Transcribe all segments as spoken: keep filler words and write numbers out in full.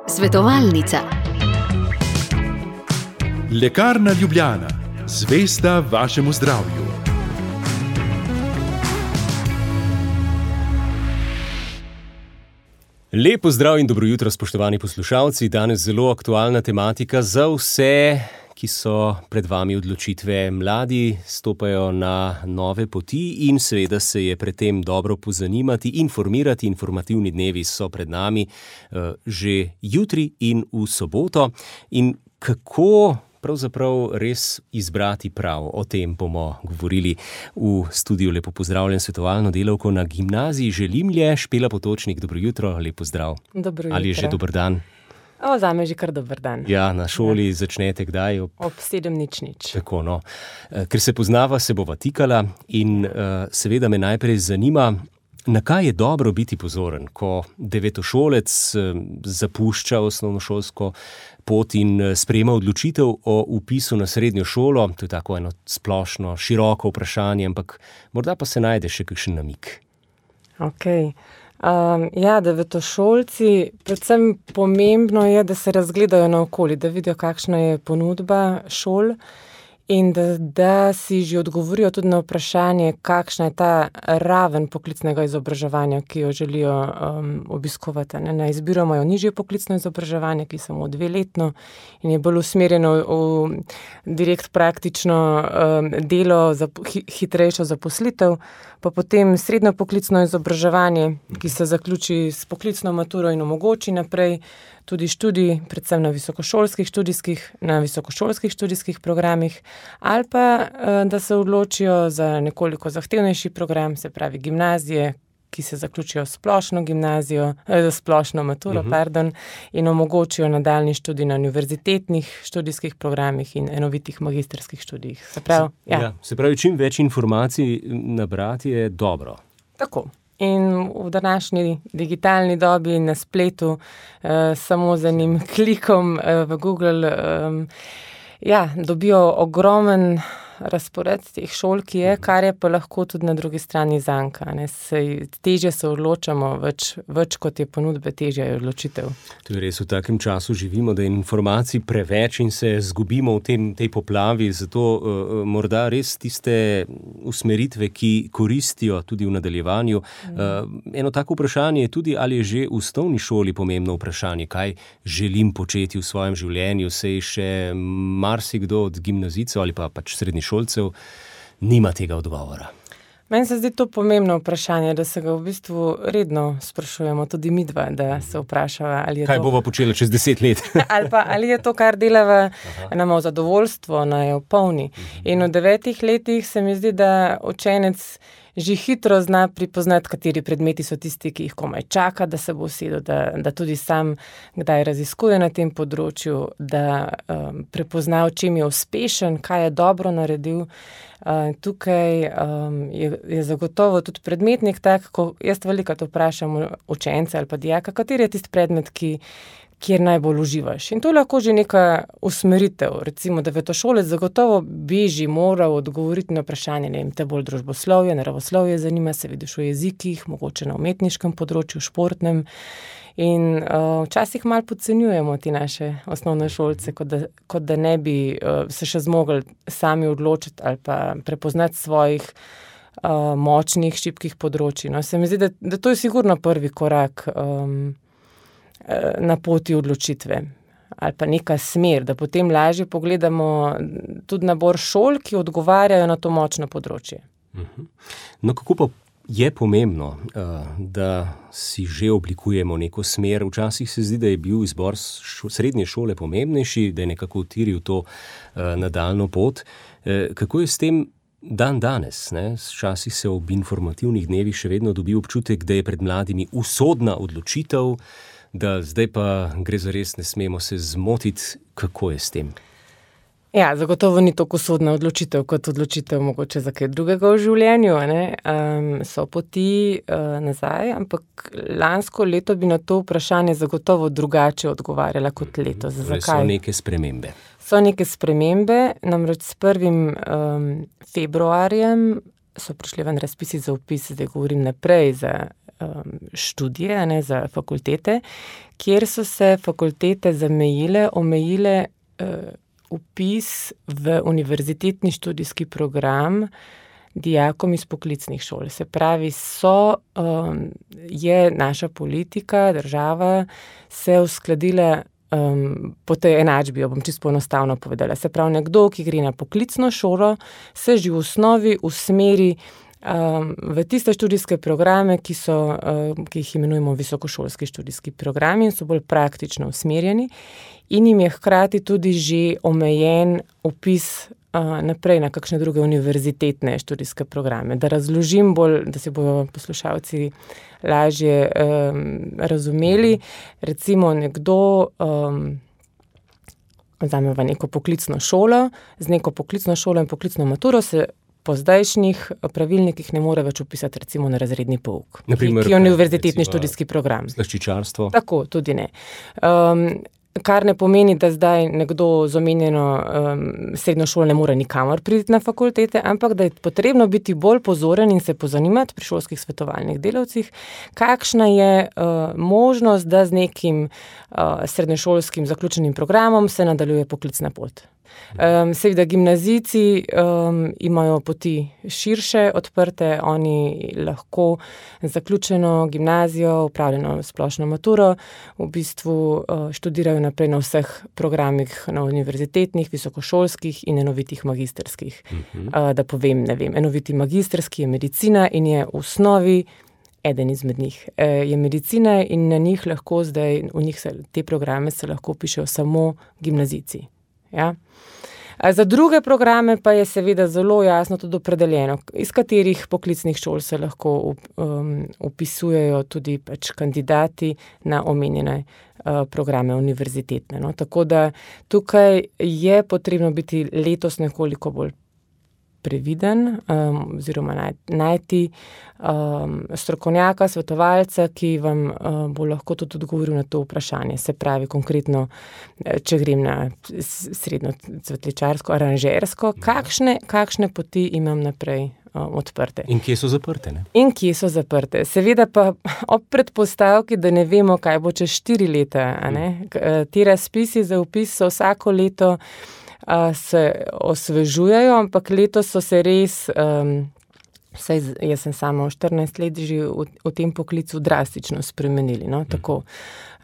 Svetovalnica. Lekarna Ljubljana, zvesta vašemu zdravju. Lep pozdrav in dobro jutro, spoštovani poslušalci. Danes zelo aktualna tematika za vse, ki so pred vami odločitve. Mladi stopajo na nove poti in seveda se je pred tem dobro pozanimati, informirati. Informativni dnevi so pred nami uh, že jutri in v soboto. In kako pravzaprav res izbrati prav? O tem bomo govorili v studiu. Lepo pozdravljen svetovalno delavko na Gimnaziji Želimlje, Špela Potočnik. Dobro jutro, lep pozdrav. Dobro jutro. Ali je že dober dan? O, zame je že kar dober dan. Ja, na šoli ja. Začnete kdaj? Ob, ob sedem nič nič. Tako, no. Ker se poznava, se bova tikala in uh, seveda me najprej zanima, na kaj je dobro biti pozoren, ko devetošolec uh, zapušča osnovnošolsko pot in uh, sprejema odločitev o vpisu na srednjo šolo. To je tako eno splošno, široko vprašanje, ampak morda pa se najde še kakšen namig. Okej. Okay. Um, ja, devetošolci, predvsem pomembno je, da se razgledajo naokoli, da vidijo, kakšna je ponudba šol in da, da si že odgovorijo tudi na vprašanje, kakšna je ta raven poklicnega izobraževanja, ki jo želijo um, obiskovati. Ne? Na izbiro imajo nižje poklicno izobraževanje, ki je samo dveletno in je bolj usmerjeno v, v direkt praktično um, delo, za hi, hitrejšo zaposlitev, pa potem srednjo poklicno izobraževanje, ki se zaključi s poklicno maturo in omogoči naprej tudi študij, predvsem na visokošolskih študijskih, na visokošolskih študijskih programih, ali pa da se odločijo za nekoliko zahtevnejši program, se pravi gimnazije, ki se zaključijo splošno gimnazijo, eh, splošno maturo, uh-huh. pardon, in omogočijo nadaljnji študij na univerzitetnih študijskih programih in enovitih magistrskih študijih. Se pravi, se, ja. Ja, se pravi, čim več informacij nabrati je dobro. Tako. In v današnji digitalni dobi na spletu eh, samo z enim klikom eh, v Google eh, ja, dobijo ogromen razpored teh šol, ki je, kar je pa lahko tudi na drugi strani zanka. Ne? Sej, težje se odločamo, več, več kot je ponudbe, težje je odločitev. To je res, v takem času živimo, da je informacij preveč in se zgubimo v tem, tej poplavi, zato uh, morda res tiste usmeritve, ki koristijo tudi v nadaljevanju. Mm. Uh, eno tako vprašanje je tudi, ali je že v osnovni šoli pomembno vprašanje, kaj želim početi v svojem življenju, sej še marsikdo od gimnazijcev ali pa pač srednji šolcev nima tega odgovora. Meni se zdi to pomembno vprašanje, da se ga v bistvu redno sprašujemo, tudi midva, da se vprašava, ali je kaj to... bova počela čez deset let? ali pa, ali je to, kar delava, nama v zadovoljstvo, naj jo polni. In v devetih letih se mi zdi, da učenec že hitro zna pripoznati, kateri predmeti so tisti, ki jih komaj čaka, da se bo usedel, da, da tudi sam kdaj raziskuje na tem področju, da um, prepozna, v čem je uspešen, kaj je dobro naredil. Uh, tukaj um, je, je zagotovo tudi predmetnik tak, ko jaz velikokrat vprašam učence ali pa dijaka, kateri je tisti predmet, ki kjer najbolj uživaš. In to je lahko že neka usmeritev. Recimo, devetošolec zagotovo bi že moral odgovoriti na vprašanje, ne vem, te bolj družboslovje, naravoslovje zanima, se vidiš v jezikih, mogoče na umetniškem področju, športnem. In uh, včasih malo podcenjujemo ti naše osnovne šolce, kot da, kot da ne bi uh, se še zmogli sami odločiti ali pa prepoznati svojih uh, močnih, šibkih področij. No, se mi zdi, da, da to je sigurno prvi korak um, na poti odločitve ali pa neka smer, da potem lažje pogledamo tudi nabor šol, ki odgovarjajo na to močno področje. No, kako pa je pomembno, da si že oblikujemo neko smer? Včasih se zdi, da je bil izbor srednje šole pomembnejši, da je nekako utiril to nadaljnjo pot. Kako je s tem dan danes? Ne? Včasih se ob informativnih dnevih še vedno dobi občutek, da je pred mladimi usodna odločitev, da zdaj pa gre za res, ne smemo se zmotiti. Kako je s tem? Ja, zagotovo ni tako usodna odločitev, kot odločitev mogoče za kaj drugega v življenju. Ne? Um, so poti uh, nazaj, ampak lansko leto bi na to vprašanje zagotovo drugače odgovarjala kot letos. Zakaj? So neke spremembe. So neke spremembe, namreč s prvim um, februarjem so prišli ven razpisi za vpis, zdaj govorim naprej, za um, študije, ne, za fakultete, kjer so se fakultete zamejile, omejile uh, vpis v univerzitetni študijski program dijakom iz poklicnih šol. Se pravi, so, um, je naša politika, država se uskladila um, po tej enačbi, jo bom čisto poenostavno povedala. Se pravi, nekdo, ki gre na poklicno šolo, se že v osnovi usmeri um, v tiste študijske programe, ki, so, um, ki jih imenujemo visokošolski študijski programi in so bolj praktično usmerjeni in jim je hkrati tudi že omejen vpis naprej na kakšne druge univerzitetne študijske programe. Da razložim bolj, da si bojo poslušalci lažje um, razumeli. Recimo nekdo um, vzame v neko poklicno šolo, z neko poklicno šolo in poklicno maturo se po zdajšnjih pravilnikih ne more več upisati recimo na razredni pouk, Naprimer, ki je univerzitetni študijski program. Slaščičarstvo. Tako, tudi ne. Um, Kar ne pomeni, da zdaj nekdo z omenjeno um, srednjo šolo ne more nikamor priti na fakultete, ampak da je potrebno biti bolj pozoren in se pozanimati pri šolskih svetovalnih delavcih, kakšna je uh, možnost, da z nekim uh, srednješolskim zaključenim programom se nadaljuje poklicna pot. Um, seveda gimnazijci um, imajo poti širše, odprte, oni lahko zaključeno gimnazijo, upravljeno splošno maturo, v bistvu uh, študirajo naprej na vseh programih, na univerzitetnih, visokošolskih in enovitih magistrskih. Uh-huh. Uh, da povem, ne vem, enoviti magistrski je medicina in je v osnovi eden izmed njih. E, je medicina in na njih lahko zdaj, v njih se, te programe se lahko pišejo samo gimnazijci. Ja? Za druge programe pa je seveda zelo jasno tudi opredeljeno, iz katerih poklicnih šol se lahko um, upisujejo tudi pač kandidati na omenjene uh, programe univerzitetne. No? Tako da tukaj je potrebno biti letos nekoliko bolj previden, um, oziroma naj, najti um, strokovnjaka, svetovalca, ki vam uh, bo lahko tudi odgovoril na to vprašanje. Se pravi, konkretno, če grem na srednjo cvetličarsko, aranžersko, kakšne, kakšne poti imam naprej um, odprte. In kje so zaprte, ne? In kje so zaprte. Seveda pa ob predpostavki, da ne vemo, kaj bo čez štiri leta, a ne? Ti razpisi za vpis so vsako leto se osvežujejo, ampak letos so se res, um, saj jaz sem samo štirinajst let že v, v tem poklicu drastično spremenili. No? Tako,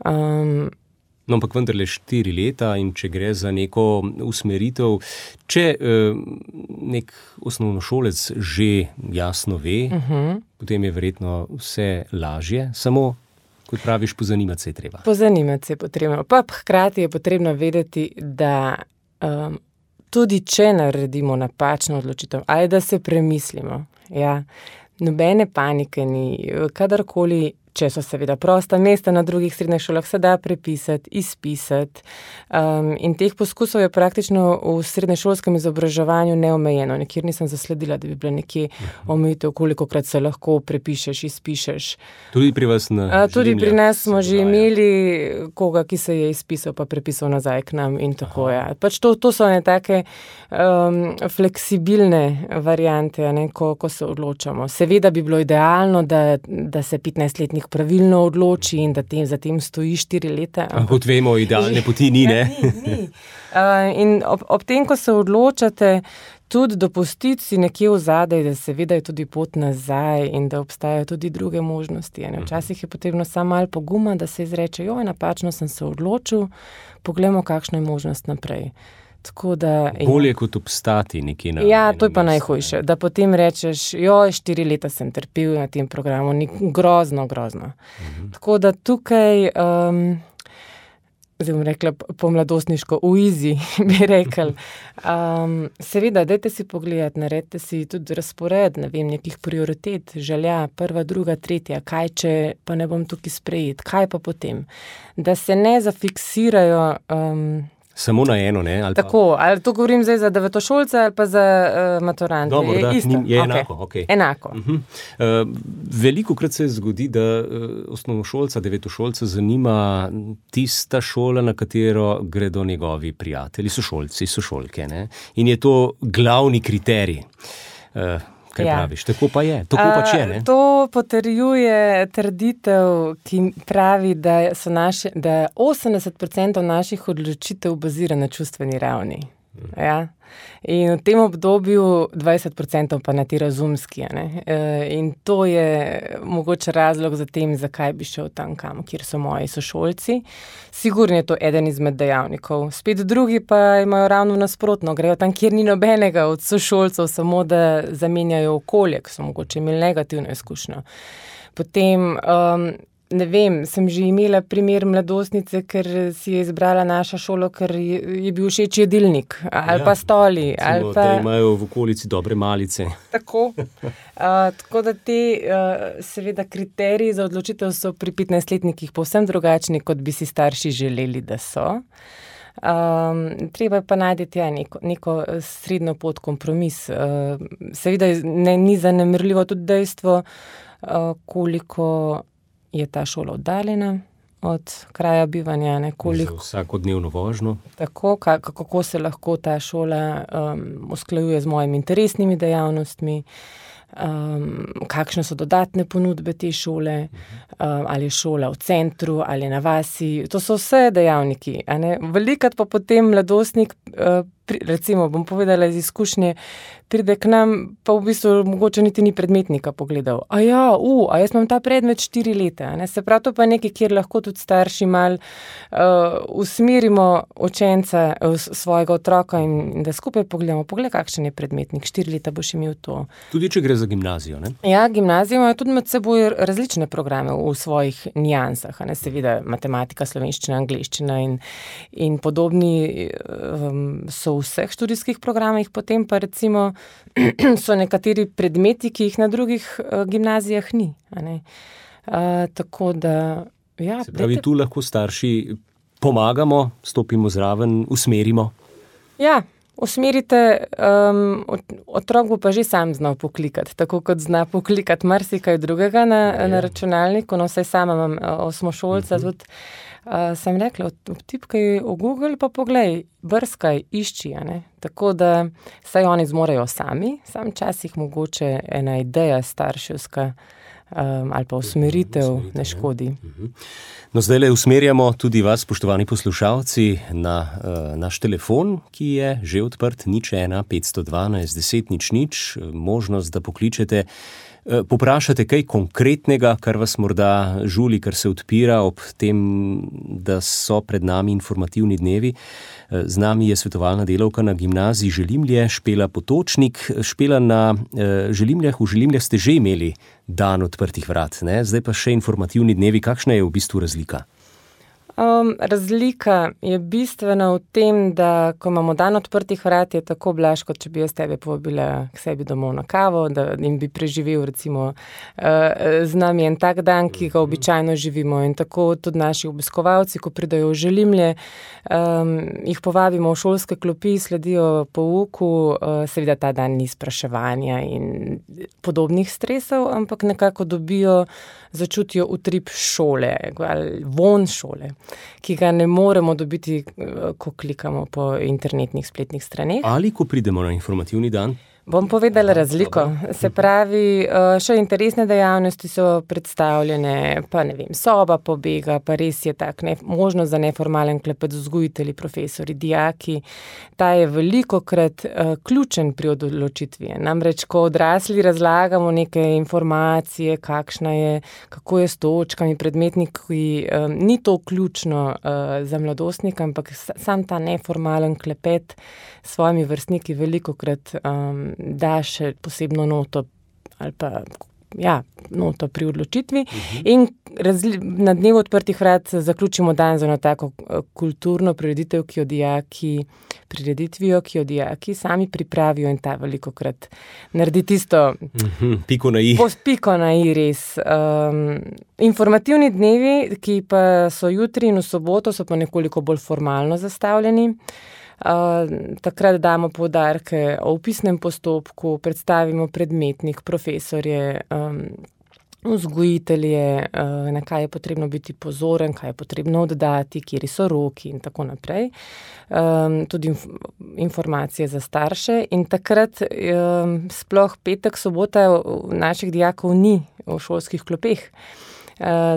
um, no, ampak vendarle štiri leta in če gre za neko usmeritev, če uh, nek osnovnošolec že jasno ve, uh-huh. potem je verjetno vse lažje, samo kot praviš, pozanimati se je treba. Pozanimati se je potrebno. Pa hkrati je potrebno vedeti, da Um, tudi če naredimo napačno odločitev, ali da se premislimo, ja, nobene panike ni, kadarkoli, če so seveda prosta mesta na drugih srednjih šolah, se da prepisati, izpisati. Um, in teh poskusov je praktično v srednješolskem izobraževanju neomejeno. Nikjer nisem zasledila, da bi bila nekje omejitev, kolikokrat se lahko prepišeš, izpišeš. Tudi pri vas na A, Tudi pri nas smo že imeli koga, ki se je izpisal pa prepisal nazaj k nam in tako je. Ja. Pač to, to so ne take um, fleksibilne variante, ne, ko, ko se odločamo. Seveda bi bilo idealno, da, da se petnajstletnik pravilno odloči in da tem, za tem stoji štiri leta. Kot vemo, idealne poti ni, ne? ni, ni. Uh, in ob, ob tem, ko se odločate, tudi dopustiti si nekje v zadaj, da seveda je tudi pot nazaj in da obstajajo tudi druge možnosti. Ne? Včasih je potrebno samo malo poguma, da se izreče, joj, napačno sem se odločil, poglejmo, kakšna je možnost naprej. Tako da, bolje kot obstati nekje na... Ja, to je pa najhujše, da potem rečeš, joj, štiri leta sem trpel na tem programu, ni grozno, grozno. Uh-huh. Tako da tukaj, um, zdaj bom rekla po mladostniško, uizi, bi rekel. Um, seveda, dajte si pogledati, naredite si tudi razpored, ne vem, nekih prioritet, želja, prva, druga, tretja, kaj če pa ne bom tukaj sprejet, kaj pa potem. Da se ne zafiksirajo... Um, Samo na eno, ne? Ali Tako, pa... ali to govorim zdaj za devetošolce ali pa za uh, maturante? No, morda, je isto? Je okay. enako, ok. Enako. Uh-huh. Uh, veliko krat se zgodi, da uh, osnovnošolca, devetošolca zanima tista šola, na katero gredo njegovi prijatelji, sošolci, sošolke, ne? In je to glavni kriterij. Uh, kaj Ja. praviš. Tako pa je, tako pač je, ne? A, To potrjuje trditev, ki pravi, da so naše, da osemdeset procentov naših odločitev bazira na čustveni ravni. Ja. In v tem obdobju dvajset procentov pa na ti razumski. a Ne? E, in to je mogoče razlog za tem, zakaj bi šel tam, kam, kjer so moji sošolci. Sigurno je to eden izmed dejavnikov. Spet drugi pa imajo ravno nasprotno, grejo tam, kjer ni nobenega od sošolcev, samo da zamenjajo okolje, ki so mogoče imeli negativno izkušnjo. Potem, um, ne vem, sem že imela primer mladostnice, ker si je izbrala naša šolo, ker je, je bil všeč jedilnik ali Ja, pa stoli. Recimo, Ali pa... da imajo v okolici dobre malice. Tako. Uh, tako da te uh, seveda kriteriji za odločitev so pri petnajstletnikih povsem drugačni, kot bi si starši želeli, da so. Um, treba je pa najti ja, neko, neko srednjo pot, kompromis. Uh, seveda ne, ni zanemarljivo tudi dejstvo, uh, koliko je ta šola oddaljena od kraja bivanja, ne, koliko, Za vsakodnevno vožnjo. tako, ka, kako se lahko ta šola um, usklajuje z mojimi interesnimi dejavnostmi, um, kakšne so dodatne ponudbe te šole, um, ali je šola v centru, ali na vasi. To so vse dejavniki. a ne. Velikokrat pa potem mladostnik, uh, pri, recimo, bom povedala iz izkušnje, pride k nam, pa v bistvu mogoče niti ni predmetnika pogledal. A ja, u, a jaz imam ta predmet štiri leta. a Ne? Se pravi, to pa je nekaj, kjer lahko tudi starši mal uh, usmerimo učenca, uh, svojega otroka in, in da skupaj pogledamo, pogled, kakšen je predmetnik, štiri leta boš imel to. Tudi če gre za gimnazijo, ne? Ja, gimnazije imajo tudi med seboj različne programe v svojih nijansah, a ne, seveda matematika, slovenščina, angleščina in, in podobni um, so v vseh študijskih programih, potem pa recimo so nekateri predmeti, ki jih na drugih uh, gimnazijah ni. A ne. Uh, tako da, ja. Se pravi, dajte- tu lahko starši pomagamo, stopimo zraven, usmerimo. Ja, usmerite, um, ot- otrok bo pa že sam znal poklikati, tako kot zna poklikati marsikaj drugega na, Ja, ja. na računalniku. No, vsaj sama imam uh, osmošolca, Mhm. tudi uh, sem rekla, vtipkaj v Google pa poglej, brskaj, išči. a ne. Tako da saj oni zmorejo sami, sam časih mogoče ena ideja starševska um, ali pa usmeritev usmeritev, ne ja. škodi. No, zdaj le usmerjamo tudi vas, spoštovani poslušalci, na uh, naš telefon, ki je že odprt, nič ena, petsto dvanajst, deset, nič nič, možnost, da pokličete, uh, poprašate kaj konkretnega, kar vas morda žuli, kar se odpira ob tem, da so pred nami informativni dnevi. Uh, z nami je svetovalna delavka na gimnaziji Želimlje, Špela Potočnik. Špela, na uh, Želimljah, v Želimljah ste že imeli dan odprtih vrat, ne? Zdaj pa še informativni dnevi. Kakšna je v bistvu razlika? Um, razlika je bistvena v tem, da ko imamo dan odprtih vrat, je tako blaž, kot če bi jaz tebe povabila k sebi domov na kavo, da in bi preživel recimo uh, z nami en tak dan, ki ga običajno živimo. In tako tudi naši obiskovalci, ko pridajo v Želimlje, um, jih povabimo v šolske klopi, sledijo pouku, uh, seveda ta dan ni spraševanja in podobnih stresov, ampak nekako dobijo, začutijo utrip šole ali von šole, ki ga ne moremo dobiti, ko klikamo po internetnih spletnih straneh. Ali ko pridemo na informativni dan? Bom povedala razliko. Se pravi, še interesne dejavnosti so predstavljene, pa ne vem, soba pobega, pa res je tak, ne, možnost za neformalen klepet z vzgojitelji, profesori, dijaki. Ta je velikokrat uh, ključen pri odločitvi. Namreč, ko odrasli razlagamo neke informacije, kakšna je, kako je s točkami, predmetniki, um, ni to ključno uh, za mladostnika, ampak sam ta neformalen klepet s svojimi vrstniki velikokrat um, da še posebno noto ali pa ja, noto pri odločitvi. Uh-huh. In razli- na dnevu odprtih vrat zaključimo dan z eno tako kulturno prireditev, ki jo dijaki prireditvijo, ki jo dijaki sami pripravijo in ta velikokrat naredi tisto Uh-huh. Piko na i. pos- piko na i res. Um, informativni dnevi, ki pa so jutri in v soboto, so pa nekoliko bolj formalno zastavljeni. Uh, takrat damo poudarke o vpisnem postopku, predstavimo predmetnik, profesorje, um, vzgojitelje, na kaj je potrebno biti pozoren, kaj je potrebno oddati, kjeri so roki in tako naprej. Tudi informacije za starše in takrat sploh petek, sobota naših dijakov ni v šolskih klopeh.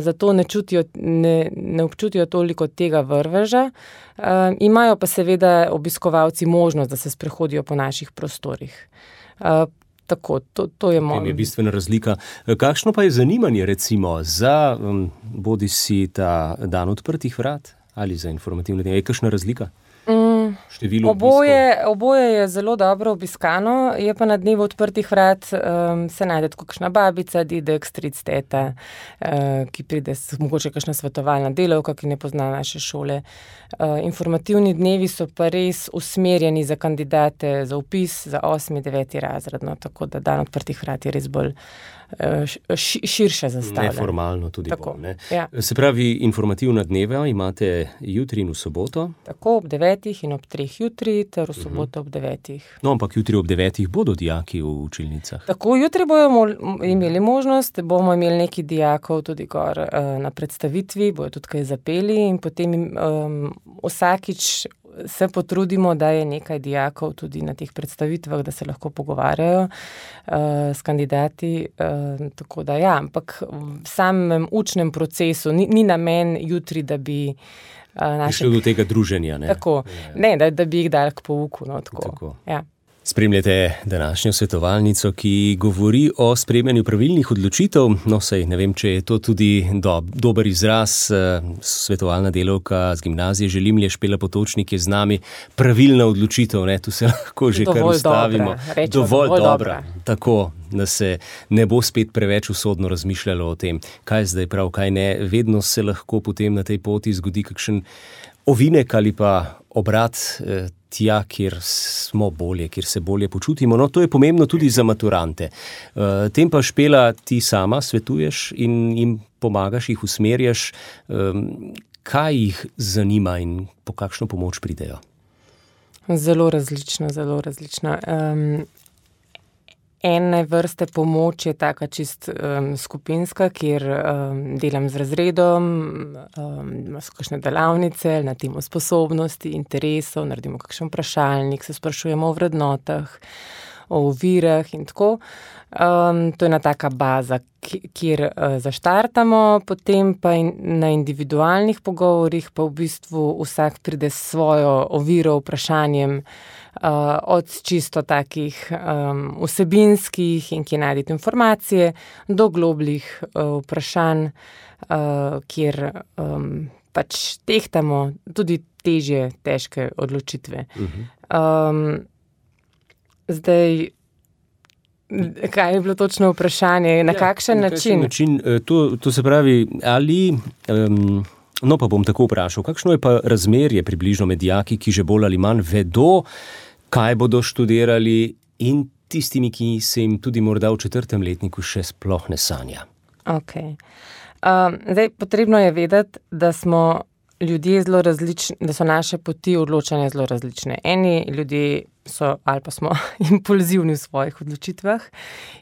Zato ne, čutijo, ne, ne občutijo toliko tega vrveža. Imajo pa seveda obiskovalci možnost, da se sprehodijo po naših prostorih. Tako, to, to je moj. To je bistvena razlika. Kakšno pa je zanimanje recimo za um, bodi si ta dan odprtih vrat ali za informativne dneve? Je kakšna razlika? Mm, oboje, oboje je zelo dobro obiskano, je pa na dnevu odprtih vrat um, se najde kakšna babica, dedek, stric, teta, uh, ki pride, mogoče kakšna svetovalna delavka, ki ne pozna naše šole. Uh, informativni dnevi so pa res usmerjeni za kandidate za vpis za osmi, deveti razred, no, tako da dan odprtih vrat je res bolj širše zastavljeno. Neformalno tudi tako, bolj, ne? Ja. Se pravi, informativna dneva imate jutri in v soboto? Tako, ob devetih in ob treh jutri, ter v soboto ob devetih. No, ampak jutri ob devetih bodo dijaki v učilnicah? Tako, jutri bojo imeli možnost, bomo imeli nekaj dijakov tudi gor na predstavitvi, bojo tudi kaj zapeli in potem um, vsakič se potrudimo, da je nekaj dijakov tudi na teh predstavitvah, da se lahko pogovarjajo uh, s kandidati. Uh, tako da ja, ampak v samem učnem procesu ni, ni namen jutri, da bi uh, naše... Prišlo do tega druženja, ne? Tako, ne, da, da bi jih dali k pouku, no, tako. tako. Ja. Spremljate današnjo svetovalnico, ki govori o sprejemanju pravilnih odločitev. No, sej ne vem, če je to tudi do, dober izraz. Svetovalna delavka z gimnazije Želimlje Špela Potočnik je z nami. Pravilna odločitev, ne, tu se lahko že dovolj kar ustavimo. Dobra, rečemo, dovolj, dovolj dobra. dobra. Tako, da se ne bo spet preveč usodno razmišljalo o tem, kaj zdaj prav, kaj ne. Vedno se lahko potem na tej poti zgodi kakšen ovinek ali pa obrat eh, tja, kjer smo bolje, kjer se bolje počutimo. No, to je pomembno tudi za maturante. Uh, tem pa, Špela, ti sama svetuješ in jim pomagaš, jih usmerjaš. Um, kaj jih zanima in po kakšno pomoč pridejo? Zelo različno, zelo različno. Um, ene vrste pomoč je taka čist um, skupinska, kjer um, delam z razredom, um, so kakšne delavnice na temo sposobnosti, interesov, naredimo kakšen vprašalnik, se sprašujemo o vrednotah, o ovirah in tako. Um, to je ena taka baza, kjer uh, zaštartamo, potem pa in, na individualnih pogovorih pa v bistvu vsak pride s svojo oviro, vprašanjem, Uh, od čisto takih um, vsebinskih in kje najdete informacije, do globljih uh, vprašanj, uh, kjer um, pač tehtamo tudi težje, težke odločitve. Uh-huh. Um, zdaj, kaj je bilo točno vprašanje? Na ja, kakšen na način? način to, to se pravi, ali... Um, no, pa bom tako vprašal, kakšno je pa razmerje približno med dijaki, ki že bolj ali manj vedo, kaj bodo študirali, in tistimi, ki se jim tudi morda v četrtem letniku še sploh ne sanja? Ok. Um, zdaj, potrebno je vedeti, da smo ljudje zelo različni, da so naše poti odločanja zelo različne. Eni ljudje so, ali pa smo impulzivni v svojih odločitvah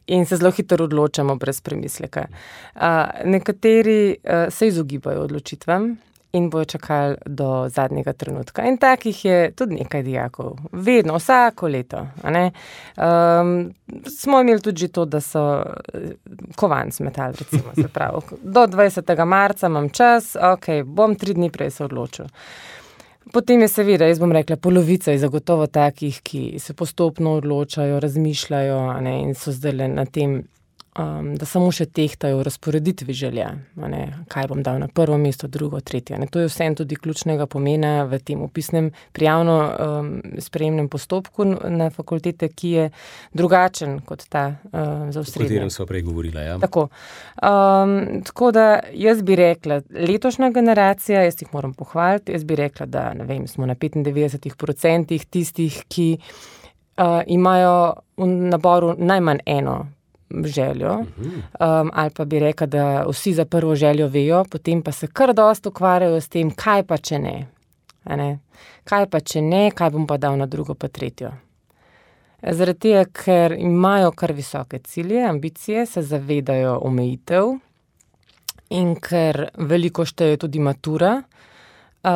in se zelo hitro odločamo brez premisleka. Uh, nekateri uh, se izogibajo odločitvam in bojo čakali do zadnjega trenutka. In takih je tudi nekaj dijakov. Vedno, vsako leto. A ne? Um, smo imeli tudi to, da so kovanc metali, recimo, se pravi. Do dvajsetega marca imam čas, ok, bom tri dni prej se odločil. Potem je seveda, jaz bom rekla, polovica je zagotovo takih, ki se postopno odločajo, razmišljajo, a ne, in so zdaj na tem, um, da samo še tehtajo v razporeditvi želja, a ne, kaj bom dal na prvo mesto, drugo, tretje. Ne. To je vsem tudi ključnega pomena v tem opisnem prijavno um, sprejemnem postopku na fakultete, ki je drugačen kot ta uh, za osrednje. O katerem sva prej govorila, ja. Tako. Um, tako da jaz bi rekla, letošnja generacija, jaz jih moram pohvaliti, jaz bi rekla, da ne vem, smo na petindevetdeset procentih tistih, ki uh, imajo v naboru najmanj eno željo, um, ali pa bi rekla, da vsi za prvo željo vejo, potem pa se kar dosti ukvarjajo s tem, kaj pa če ne. A ne? Kaj pa če ne, kaj bom pa dal na drugo pa tretjo. Zaradi tega, ker imajo kar visoke cilje, ambicije, se zavedajo omejitev in ker veliko šteje tudi matura. Uh,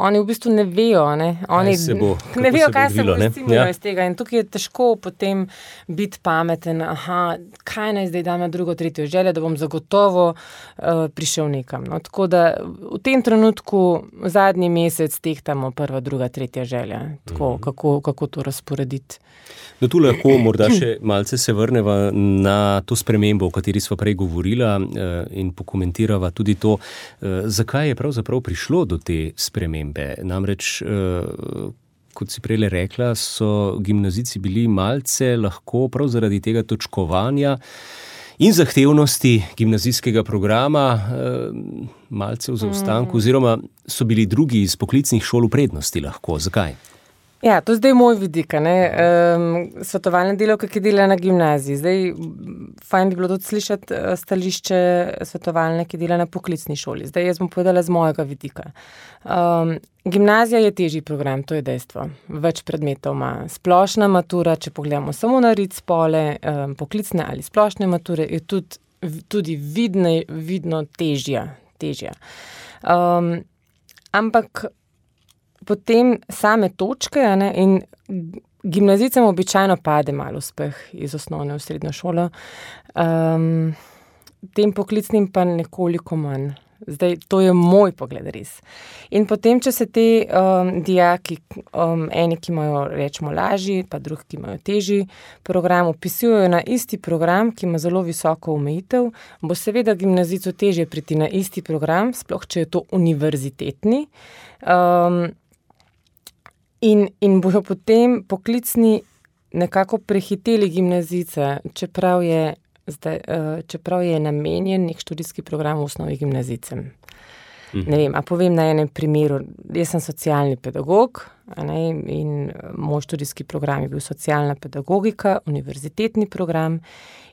oni v bistvu ne vejo, ne, oni se bo, ne vejo, kaj se bo ne? izcimilo Ja. iz tega in tukaj je težko potem biti pameten, aha, kaj naj zdaj dam na drugo, tretjo željo, da bom zagotovo uh, prišel nekam. No, tako da v tem trenutku zadnji mesec tehtamo prva, druga, tretja želja, tako, mm. kako, kako to razporediti. No, tu lahko morda še malce se vrneva na to spremembo, o kateri sva prej govorila in pokomentirava tudi to, zakaj je pravzaprav prišlo do te spremembe. Namreč, kot si prej rekla, so gimnazijci bili malce lahko prav zaradi tega točkovanja in zahtevnosti gimnazijskega programa malce v zaostanku, oziroma so bili drugi iz poklicnih šol v prednosti lahko. Zakaj? Ja, to je zdaj moj vidik, ne, um, svetovalne delavke, ki delajo na gimnaziji. Zdaj, fajn bi bilo tudi slišati stališče svetovalne, ki dela na poklicni šoli. Zdaj, jaz bom povedala z mojega vidika. Um, gimnazija je težji program, to je dejstvo. Več predmetov ima. Splošna matura, če pogledamo samo na rit spole, um, poklicne ali splošne mature, je tudi, tudi vidne, vidno težja. težja. Um, ampak potem same točke, ne, in gimnazijcem običajno pade malo uspeh iz osnovne v srednjo šolo, um, tem poklicnim pa nekoliko manj. Zdaj, to je moj pogled res. In potem, če se te um, dijaki, um, eni, ki imajo, rečemo, lažji, pa drugi, ki imajo težji program, upisujejo na isti program, ki ima zelo visoko omejitev, bo seveda gimnazijcu težje priti na isti program, sploh če je to univerzitetni, um, In, in bojo potem poklicni nekako prehiteli gimnazijce, čeprav je, zdaj, čeprav je namenjen nek študijski program v osnovi gimnazijcem. Mhm. Ne vem, a povem na enem primeru, jaz sem socialni pedagog, a ne, in moj študijski program je bil socialna pedagogika, univerzitetni program,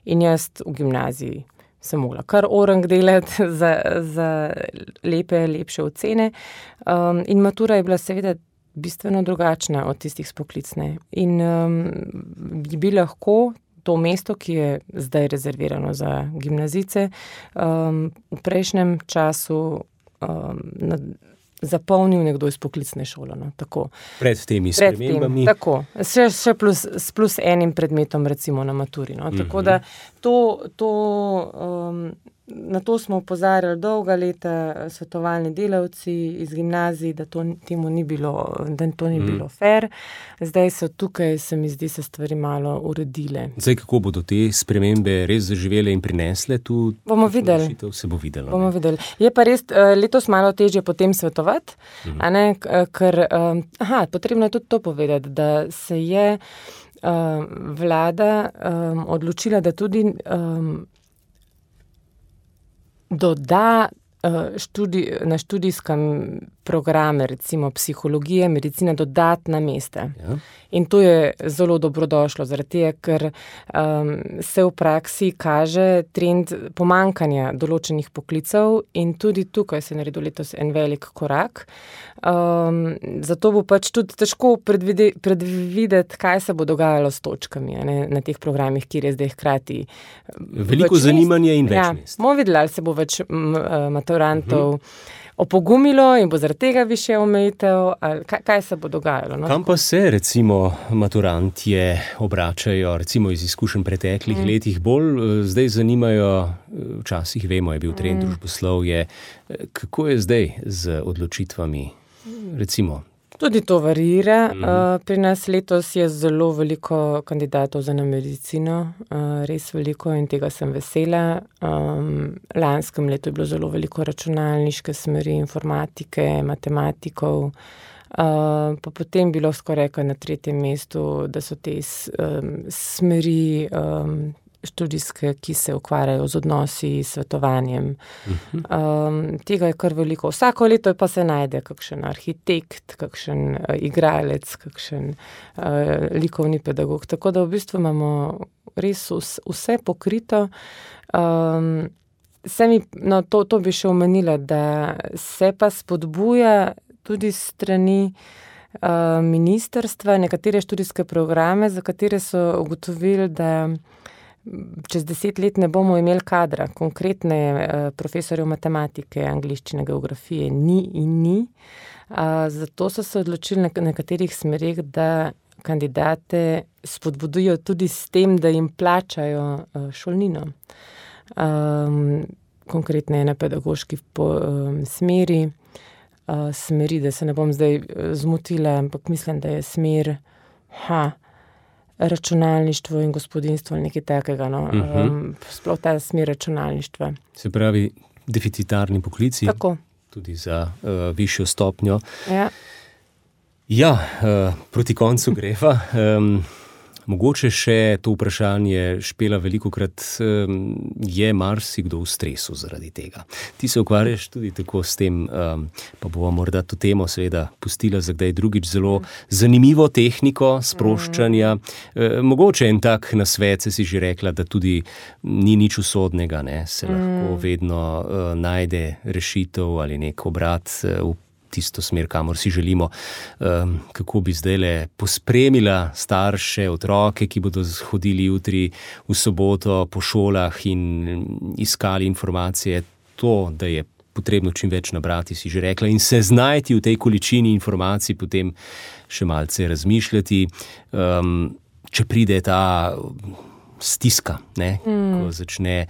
in jaz v gimnaziji sem mogla kar orang delati za, za lepe, lepše ocene, um, in matura je bila seveda bistveno drugačna od tistih s poklicne. In um, bi lahko to mesto, ki je zdaj rezervirano za gimnazijce, um, v prejšnjem času um, na, zapolnil nekdo iz poklicne šole. No, tako. Pred temi spremembami. Tem, tako. Še, še plus, s plus enim predmetom, recimo na maturi. No. Tako da to, to um, na to smo opozarjali dolga leta svetovalni delavci iz gimnazij, da to temu ni bilo, da to ni mm. bilo fair. Zdaj so tukaj, se mi zdi, se stvari malo uredile. Zdaj, kako bodo te spremembe res zaživele in prinesle tu? Bomo videli. Se bo videlo. Bomo videli. Je pa res letos malo težje potem svetovati, mm. a ne, ker, aha, potrebno je tudi to povedati, da se je uh, vlada um, odločila, da tudi um, doda uh, študij, na študijskem programe, recimo psihologije, medicine, dodatna mesta. Ja. In to je zelo dobrodošlo, zaradi tega, ker um, se v praksi kaže trend pomankanja določenih poklicev in tudi tukaj se je naredil letos en velik korak. Um, zato bo pač tudi težko predvide, predvideti, kaj se bo dogajalo s točkami, ne, na teh programih, kjer je zdaj hkrati veliko zanimanja in več ja, mest. Bomo videli, ali se bo več m, maturantov uh-huh. opogumilo in bo zaradi tega više omejitev, ali kaj, kaj se bo dogajalo. No? Kam pa se recimo maturantje obračajo, recimo iz izkušenj preteklih mm. letih, bolj zdaj zanimajo, včasih vemo, je bil trend mm. družboslovje, kako je zdaj z odločitvami, recimo? Tudi to varira. Mm. Uh, pri nas letos je zelo veliko kandidatov za na medicino, uh, res veliko in tega sem vesela. Um, lanskem letu je bilo zelo veliko računalniške smeri, informatike, matematikov, uh, pa potem bilo skoraj na tretjem mestu, da so te um, smeri um, študijske, ki se ukvarjajo z odnosi, svetovanjem. Uh-huh. Um, tega je kar veliko. Vsako leto pa se najde kakšen arhitekt, kakšen uh, igralec, kakšen uh, likovni pedagog. Tako da v bistvu imamo res vse, vse pokrito. Um, se mi, no, to, to bi še omenila, da se pa spodbuja tudi strani uh, ministrstva nekatere študijske programe, za katere so ugotovili, da čez deset let ne bomo imeli kadra, konkretne uh, profesorjev matematike, angleščine, geografije ni in ni. Uh, zato so se odločili na nekaterih smerih, da kandidate spodbudujo tudi s tem, da jim plačajo uh, šolnino. Um, konkretne na pedagoški po, um, smeri, uh, smeri, da se ne bom zdaj zmotila, ampak mislim, da je smer ha, računalništvo in gospodinstvo ali nekaj takega. No? Uh-huh. Um, sploh ta smer računalništva. Se pravi, deficitarni poklici. Tako. Tudi za uh, višjo stopnjo. Ja, ja uh, proti koncu greva. Um, mogoče še to vprašanje Špela velikokrat um, je marsikdo v stresu zaradi tega. Ti se ukvarjaš tudi tako s tem, um, pa bomo morda to temo seveda pustila za kdaj drugič, zelo zanimivo tehniko sproščanja. Uh, mogoče en tak nasvet, si že rekla, da tudi ni nič usodnega, ne? Se lahko vedno uh, najde rešitev ali nek obrat uh, v tisto smer, kamor si želimo, um, kako bi zdajle pospremila starše, otroke, ki bodo hodili jutri v soboto po šolah in iskali informacije. To, da je potrebno čim več nabrati, si že rekla, in se znajti v tej količini informacij, potem še malce razmišljati. Um, če pride ta stiska, ne, mm. ko začne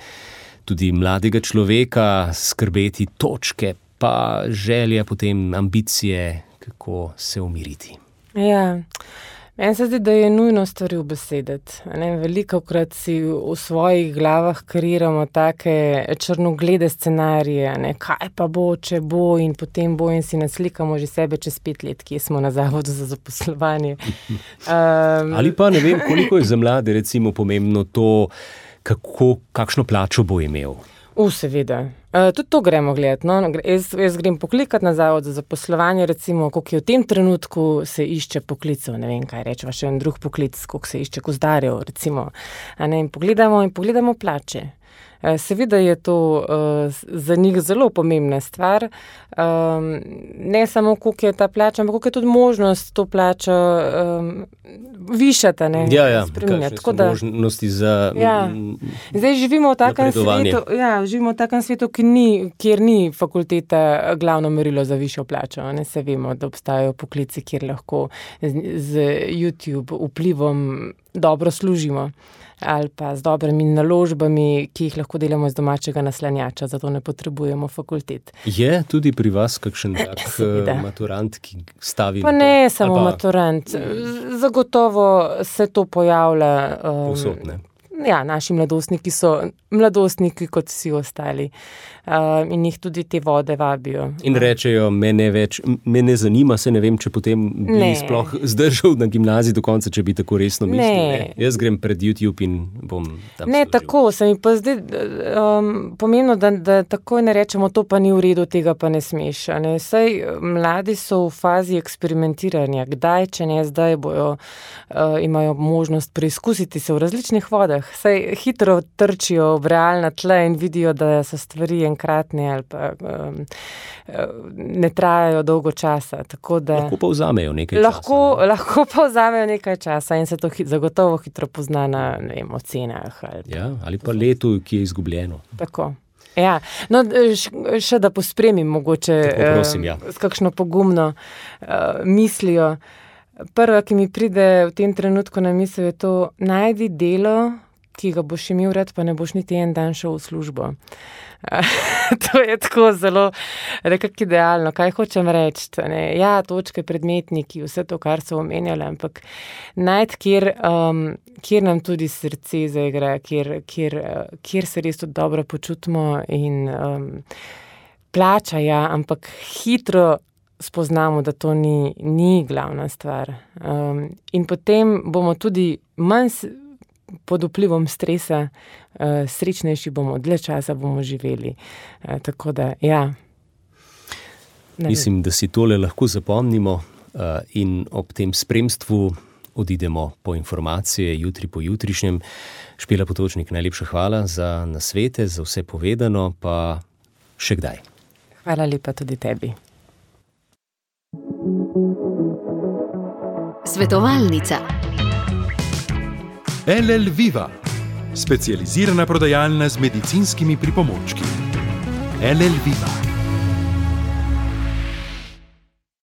tudi mladega človeka skrbeti točke, pa želja, potem ambicije, kako se umiriti. Ja, meni se zdi, da je nujno stvari ubesediti. Velikokrat si v svojih glavah kreiramo take črnoglede scenarije, ne? Kaj pa bo, če bo in potem bo, in si naslikamo že sebe čez pet let, kje smo na zavodu za zaposlovanje. Um, Ali pa ne vem, koliko je za mlade recimo pomembno to, kako, kakšno plačo bo imel. U, seveda. Uh, tudi to gremo gledati. No? Jaz, jaz grem poklikati na zavod za zaposlovanje, recimo, koliko je v tem trenutku se išče poklicov, ne vem, kaj rečeva, še en drug poklic, koliko se išče gozdarjev, recimo. A ne, in pogledamo in pogledamo plače. Uh, seveda je to uh, za njih zelo pomembna stvar. Um, ne samo, koliko je ta plača, ampak koliko je tudi možnost to plačo um, višati, ne, ja, ja, spreminjati. Kakšne so da, možnosti za ja. Zdaj živimo v takem svetu, ja, živimo v takem svetu, ki ni, kjer ni fakulteta glavno merilo za višjo plačo. Ne, se vemo, da obstajajo poklici, kjer lahko z, z YouTube vplivom dobro služimo. Ali pa z dobrimi naložbami, ki jih lahko delamo iz domačega naslanjača, zato ne potrebujemo fakultet. Je tudi pri vas kakšen tak maturant, ki stavi... Pa ne samo pa... maturant. Zagotovo se to pojavlja... Um, Povsod, ne? Ja, naši mladostniki so mladostniki kot vsi ostali uh, in jih tudi te vode vabijo. In rečejo, me ne več, me ne zanima, se ne vem, če potem bi ne. sploh zdržal na gimnaziji do konca, če bi tako resno mislil. Ne. Ne. Jaz grem pred YouTube in bom tam Ne, služil. Tako, se mi pa zdi um, pomembno, da, da takoj ne rečemo, to pa ni v redu, tega pa ne smeš. Ne? Saj mladi so v fazi eksperimentiranja, kdaj, če ne zdaj, bojo, uh, imajo možnost preizkusiti se v različnih vodah. Saj hitro trčijo v realna tla in vidijo, da so stvari enkratne ali pa um, ne trajajo dolgo časa. Tako da lahko pa vzamejo nekaj lahko, časa. Ne? Lahko pa vzamejo nekaj časa in se to hit, zagotovo hitro pozna na ne vem, ocenah. Ali, ja, ali pa letu, ki je izgubljeno. Tako. Ja, no, še da pospremim mogoče Tako, prosim, ja. uh, s kakšno pogumno uh, mislijo. Prva, ki mi pride v tem trenutku na misel, je to, najdi delo, ki ga boš imel rad, pa ne boš niti en dan šel v službo. To je tako zelo nekako idealno. Kaj hočem reči? Ne? Ja, točke, predmetniki, vse to, kar so omenjali, ampak najti, kjer, um, kjer nam tudi srce zaigra, kjer, kjer, kjer se res tudi dobro počutimo in um, plača, ja, ampak hitro spoznamo, da to ni, ni glavna stvar. Um, in potem bomo tudi manj pod vplivom stresa, uh, srečnejši bomo, dlje časa bomo živeli. Uh, tako da, ja. Mislim, da si tole lahko zapomnimo uh, in ob tem spremstvu odidemo po informacije jutri po jutrišnjem. Špela Potočnik, najlepša hvala za nasvete, za vse povedano, pa še kdaj. Hvala lepa tudi tebi. Svetovalnica. L L Viva, specializirana prodajalna z medicinskimi pripomočki. L L Viva.